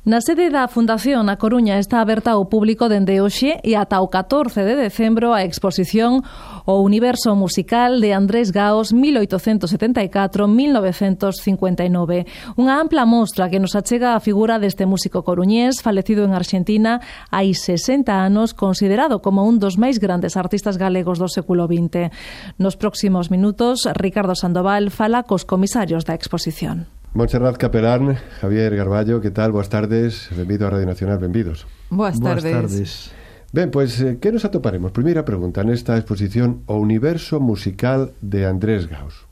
Na sede da Fundación na Coruña está aberta ao público dende hoxe e ata o 14 de decembro a exposición O Universo Musical de Andrés Gaos 1874-1959. Unha ampla mostra que nos achega a figura deste músico coruñés falecido en Arxentina hai 60 anos, considerado como un dos máis grandes artistas galegos do século XX. Nos próximos minutos, Ricardo Sandoval fala cos comisarios da exposición. Montserrat Capelán, Javier Garballo, que tal? Boas tardes, benvido a Radio Nacional, benvidos. Boas tardes. Ben, pois, que nos atoparemos? Primeira pregunta nesta exposición O Universo Musical de Andrés Gaos.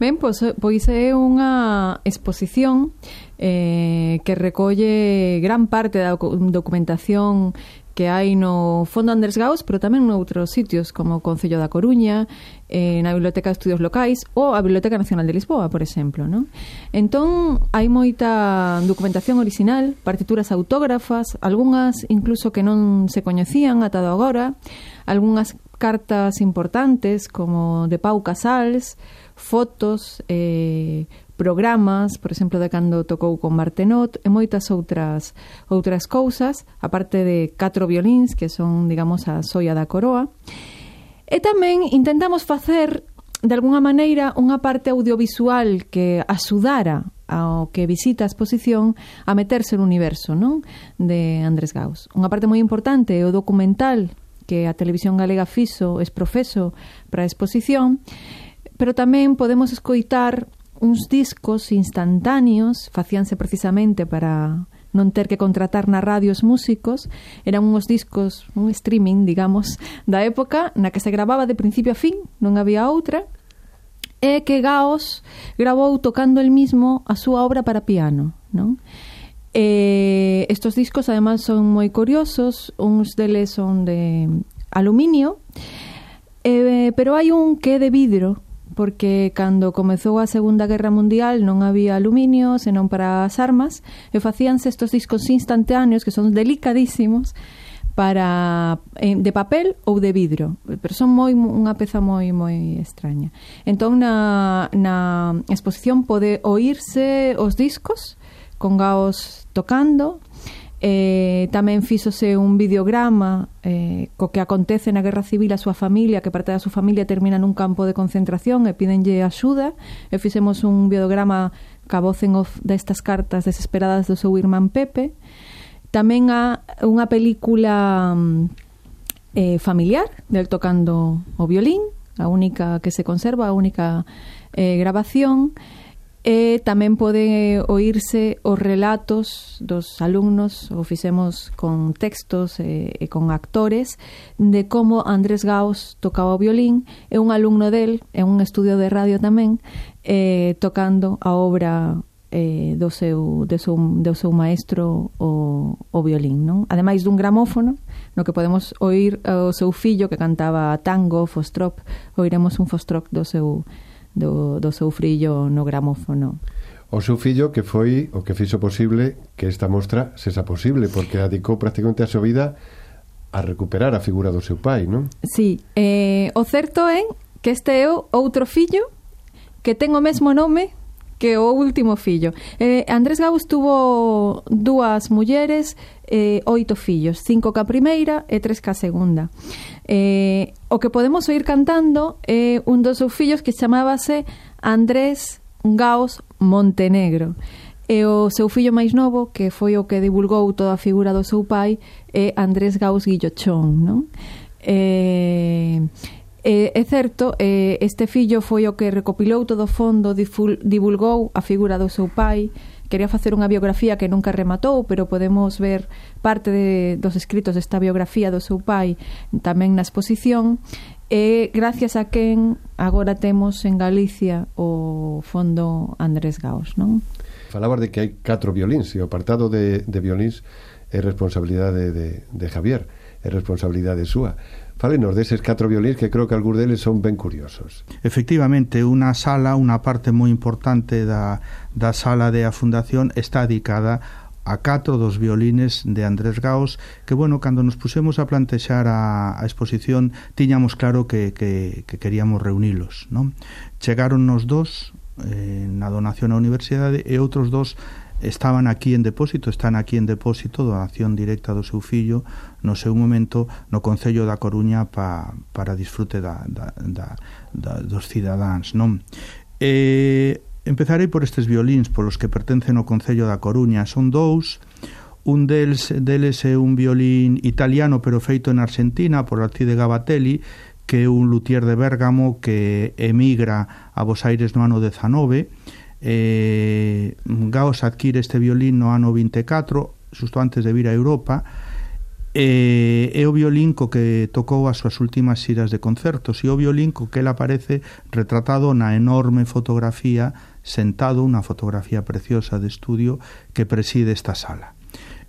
Ben, pois é unha exposición que recolle gran parte da documentación que hai no Fondo Andrés Gaos, pero tamén noutros sitios como o Concello da Coruña, na Biblioteca de Estudios Locais ou a Biblioteca Nacional de Lisboa, por exemplo, non? Entón, hai moita documentación original, partituras autógrafas, algunhas incluso que non se coñecían ata agora, algunhas cartas importantes como de Pau Casals, fotos, programas, por exemplo, de cando tocou con Martenot e moitas outras cousas, aparte de 4 violíns que son, digamos, a xoia da coroa. E tamén intentamos facer de alguna maneira unha parte audiovisual que axudara ao que visita a exposición a meterse no universo, non? De Andrés Gaos. Unha parte moi importante é o documental que a Televisión Galega fixo, exprofeso para a exposición, pero tamén podemos escoitar uns discos instantáneos, facíanse precisamente para non ter que contratar na radio os músicos. Eran uns discos, un streaming, digamos, da época na que se grababa de principio a fin, non había outra, e que Gaos grabou tocando el mismo a súa obra para piano, non? Estos discos además son moi curiosos, uns deles son de aluminio, pero hai un que é de vidro, porque cando comezou a Segunda Guerra Mundial non había aluminio senón para as armas e facíanse estos discos instantáneos que son delicadísimos para de papel ou de vidro, pero son unha peza moi extraña. Entón na exposición pode oírse os discos con Gaos tocando. Tamén fíxose un videograma co que acontece na Guerra Civil a súa familia, que parte da súa familia termina nun campo de concentración e pídenlle axuda, e fixemos un videograma ca voz en off destas cartas desesperadas do seu irmán Pepe. Tamén há unha película familiar del tocando o violín, a única que se conserva, a única grabación. E tamén pode oírse os relatos dos alumnos, o fixemos con textos e con actores, de como Andrés Gaos tocaba o violín, e un alumno del, en un estudio de radio tamén, tocando a obra do seu maestro o violín, non? Ademais dun gramófono no que podemos oír o seu fillo que cantaba tango, fostrop, oiremos un fostrop do seu fillo no gramófono. O seu fillo que foi o que fixo posible que esta mostra sexa posible, porque dedicou prácticamente a súa vida a recuperar a figura do seu pai, non? Sí, o certo é que este é o outro fillo que ten o mesmo nome que o último fillo. Andrés Gaos tuvo 2 mulleres, 8 fillos, 5 ca primeira e 3 ca segunda. O que podemos oír cantando é un dos seus fillos que chamábase Andrés Gaos Montenegro. E o seu fillo máis novo, que foi o que divulgou toda a figura do seu pai, é Andrés Gaos Guillochón, non? É certo, este fillo foi o que recopilou todo o fondo, divulgou a figura do seu pai. Quería facer unha biografía que nunca rematou, pero podemos ver parte dos escritos desta biografía do seu pai tamén na exposición, e gracias a quen agora temos en Galicia o Fondo Andrés Gaos, non? Falabas de que hai 4 violíns, e o apartado de violíns é responsabilidade de Javier, é responsabilidade súa. Fálenos deses 4 violíns que creo que algúns deles son ben curiosos. Efectivamente, unha parte moi importante da sala de a Fundación está dedicada a 4 dos violines de Andrés Gaos, que, bueno, cando nos pusemos a plantexar a exposición tiñamos claro que queríamos reunilos, non? Chegaron nos 2 na donación á universidade e outros 2 están aquí en depósito, donación directa do seu fillo no seu momento no Concello da Coruña para disfrute dos cidadáns, non? Empezarei por estes violíns polos que pertencen ao Concello da Coruña. Son dous. Un deles é un violín italiano pero feito en Argentina por Alcide Gabatelli, que é un luthier de Bérgamo que emigra a Buenos Aires no ano 19. Gaos adquire este violín no ano 24, xusto antes de vir a Europa, é o violín co que tocou as súas últimas xiras de concertos, e o violín co que ele aparece retratado na enorme fotografía, sentado, unha fotografía preciosa de estudio que preside esta sala.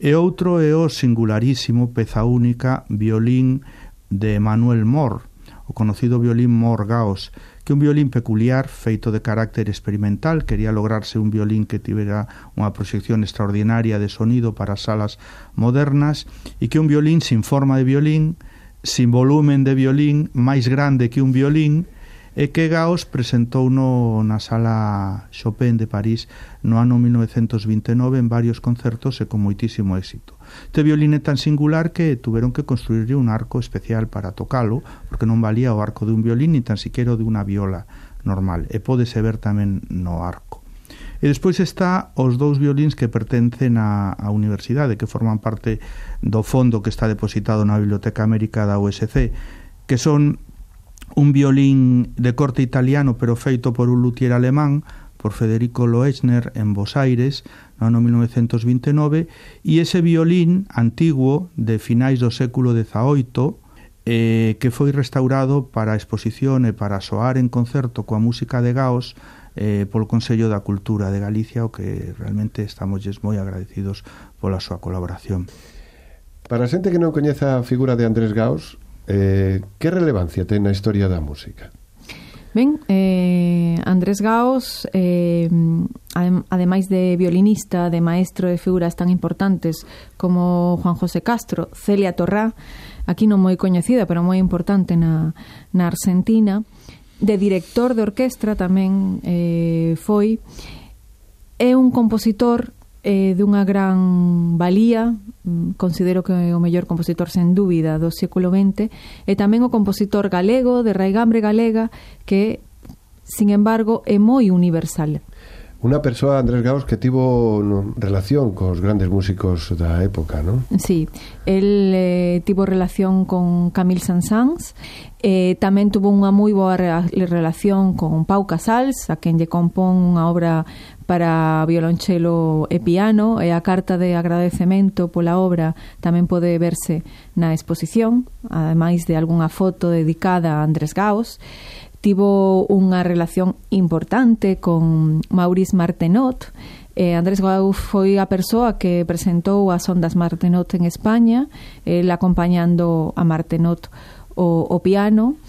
E outro é o singularísimo, peza única, violín de Manuel Mor, o conocido violín Mor-Gaos, que é un violín peculiar, feito de carácter experimental. Quería lograrse un violín que tivera unha proxección extraordinaria de sonido para salas modernas, e que un violín sin forma de violín, sin volumen de violín, máis grande que un violín, e que Gaos presentou na Sala Chopin de París no ano 1929 en varios concertos e con moitísimo éxito. Este violín é tan singular que tuveron que construirlle un arco especial para tocalo, porque non valía o arco de un violín ni tan siquiera de unha viola normal, e pódese ver tamén no arco. E despois está os dous violíns que pertencen á universidade, que forman parte do fondo que está depositado na Biblioteca América da USC, que son un violín de corte italiano pero feito por un luthier alemán, por Federico Loechner en Buenos Aires no ano 1929, e ese violín antiguo de finais do século XVIII que foi restaurado para a exposición e para soar en concerto coa música de Gaos polo Consello da Cultura de Galicia, o que realmente estamos moi agradecidos pola súa colaboración. Para a xente que non coñeza a figura de Andrés Gaos, que relevancia ten na historia da música? Ben, Andrés Gaos, ademais de violinista, de maestro de figuras tan importantes como Juan José Castro, Celia Torrá, aquí non moi coñecida, pero moi importante na Argentina, de director de orquestra tamén foi, é un compositor dunha gran valía, considero que é o mellor compositor sen dúbida do século XX, e tamén o compositor galego, de raigambre galega, que, sin embargo, é moi universal. Unha persoa, Andrés Gaos, que tivo relación cos grandes músicos da época, non? Sí, el tivo relación con Camille Saint-Saëns, tamén tuvo unha moi boa relación con Pau Casals, a quen lle compón unha obra para violonchelo e piano, e a carta de agradecemento pola obra tamén pode verse na exposición, ademais de algunha foto dedicada a Andrés Gaos. Tivo unha relación importante con Maurice Martenot. Andrés Gaos foi a persoa que presentou as ondas Martenot en España, el acompañando a Martenot o piano,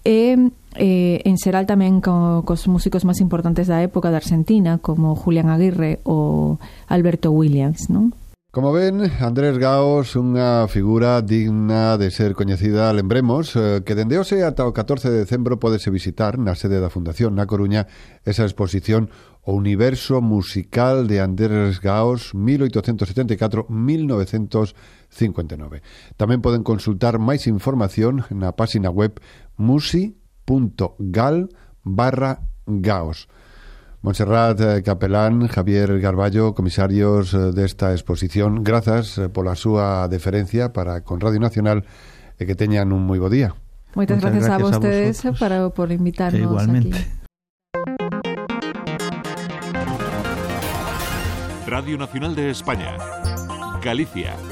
e en xeral tamén cos músicos máis importantes da época de Argentina, como Julián Aguirre ou Alberto Williams, non? Como ven, Andrés Gaos, unha figura digna de ser coñecida. Lembremos que dende hoxe ata o 14 de decembro pódese visitar na sede da Fundación na Coruña esa exposición O Universo Musical de Andrés Gaos 1874-1959. Tamén poden consultar máis información na página web musi.gal/Gaos. Montserrat Capelán, Javier Garballo, comisarios desta exposición, grazas pola súa deferencia para con Radio Nacional e que teñan un moi bo día. Moitas gracias a vostedes por invitarnos igualmente aquí. Radio Nacional de España, Galicia.